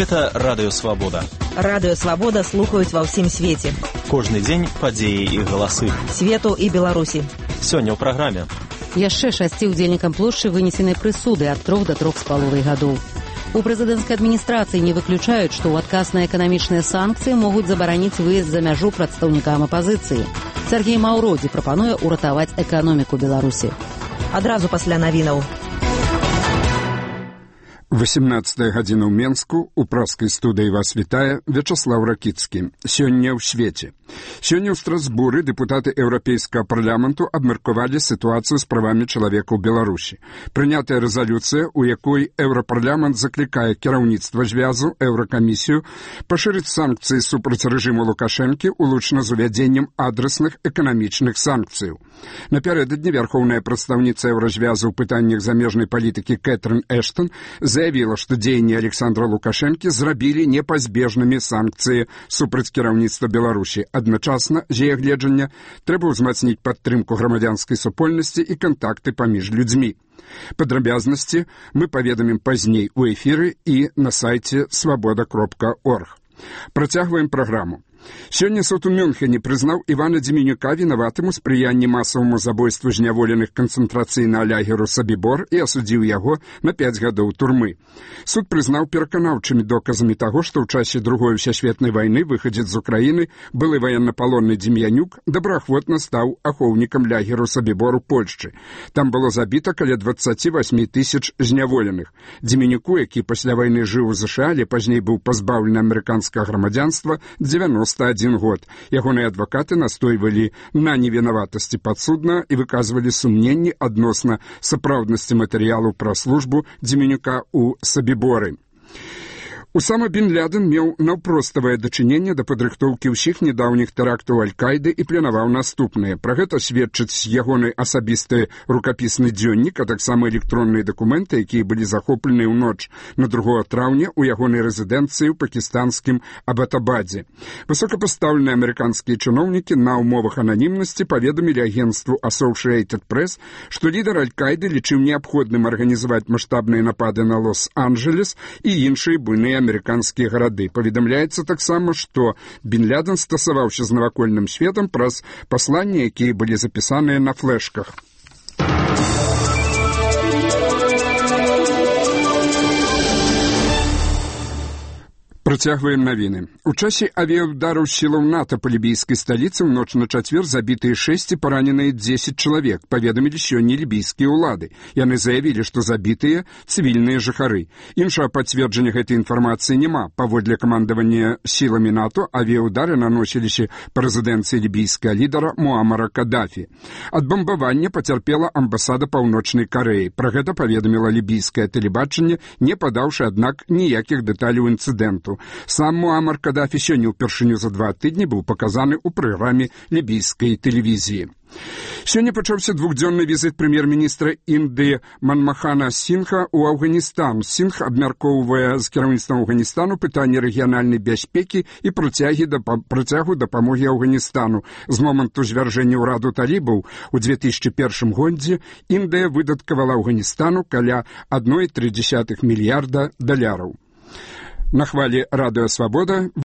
Гэта Радыё Свабода. Радыё Свабода слухаюць ва ўсім свеце. Кожны дзень падзеі і галасы. Свету і Беларусі. Сёння ў праграме. Яшчэ 6 удзельнікам плошчы вынесенай прысуды ад 3 до 3,5 гадоў. У прэзідэнцкай адміністрацыі не выключаюць, што ў адказ на эканамічныя санкцыі могуць забараніць выезд за мяжу прадстаўнікам апазіцыі. Сергей Маўродзі прапануе ўратаваць эканоміку Беларусі. Адразу пасля навінаў. 18 гадзіна ў Менску, у праскай студыі вас вітае Вячаслаў Ракіцкі. Сёння ў свеце. Сёння ў Страсбуры дэпутаты Еўрапейскага парламенту абмеркавалі сітуацыю з правамі чалавека ў Беларусі. Прынятая рэзалюцыя, у якой Еўрапарламент заклікае кіраўніцтва звязу, Еўракамісію, пашырыць санкцыі супраць рэжыму Лукашэнкі, улучна з увядзеннем адрасных эканамічных санкцыяў. Напярэдадні вярхоўная прадстаўніца Еўразвязу ў пытаннях замежнай палітыкі Кэтрын Эштон заявіла, што дзеянні Александра Лукашэнкі зрабілі непазбежнымі санкцыі супраць кіраўніцтва Беларусі. Адначасна, з яе гледжання, трэба ўзмацніць падтрымку грамадзянскай супольнасці і кантакты паміж людзьмі. Падрабязнасці мы паведамім пазней у эфіры і на сайце свабода.орг. Працягваем праграму. Сёння суд у Мюнхене прызнаў Івана Дземенюка вінаватым у спрыянні масаваму забойству зняволеных канцэнтрацыйнага лагеру Сабібор і асудзіў яго на 5 гадоў турмы. Суд прызнаў пераканаўчымі доказамі таго, што ў часе Другой сусветнай вайны выхадзец з Украіны, былы ваеннапалонны Дзем'янюк, добраахвотна стаў ахоўнікам лагеру Сабібор у Польшчы. Там было забіта каля 28 тысяч зняволеных. Дземенюку, які пасля вайны жыў у ЗША, але пазней быў пазбаўлены амерыканскага грамадзянства, 91 год. Ягоныя адвакаты настойвалі на невінаватасці падсуднага і выказвалі сумненні адносна сапраўднасці матэрыялу пра службу Дземенюка ў Сабіборы. Усама Бін Лядэн меў наўпроставае дачыненне да падрыхтоўкі ўсіх нядаўніх тэрактаў Аль-Кайды і планаваў наступныя. Пра гэта сведчыць ягоны асабісты рукапісны дзённік, а таксама электронныя дакументы, якія былі захоплены ў ноч на 2 траўня ў ягонай рэзідэнцыі ў пакістанскім Абатабадзе. Высокапастаўленыя амерыканскія чыноўнікі на ўмовах ананімнасці паведамілі агенцтву Associated Press, што лідар Аль-Кайды лічыў неабходным арганізаваць маштабныя напады на Лос-Анджелес і іншыя буйныя амерыканскія гарады. Паведамляецца таксама, што Бін Лядэн стасаваўся з навакольным светам праз пасланні, якія былі запісаныя на флешках. Працягваем навіны. У часе авіаудараў сілаў НАТО па лібійскай сталіцы ў ноч на чацвер забітыя 6 і параненыя 10 чалавек, паведамілі сёння лібійскія ўлады. Яны заявілі, што забітыя цывільныя жыхары. Іншага пацверджання гэтай інфармацыі няма. Паводле камандавання сіламі НАТО авіаудары наносіліся па рэзідэнцыі лібійскага лідара Муамара Кадафі. Ад бамбавання пацярпела амбасада Паўночнай Карэі. Пра гэта паведаміла лібійскае тэлебачанне, не падаўшы, аднак, ніякіх дэталяў інцыдэнту. Сам Муамар Кадафі сёння ўпершыню за 2 тыдні быў паказаны ў праграме лібійскай тэлевізіі. Сёння пачаўся 2-дзённы візіт прэм'ер-міністра Індыі Манмахана Сінха ў Афганістан. Сінх абмяркоўвае з кіраўніцтвам Афганістану пытанні рэгіянальнай бяспекі і працягу дапамогі Афганістану. З моманту звяржэння ўраду талібаў у 2001 годзе Індыя выдаткавала Афганістану каля 1,3 мільярда даляраў. На хвалі Радыё Свабода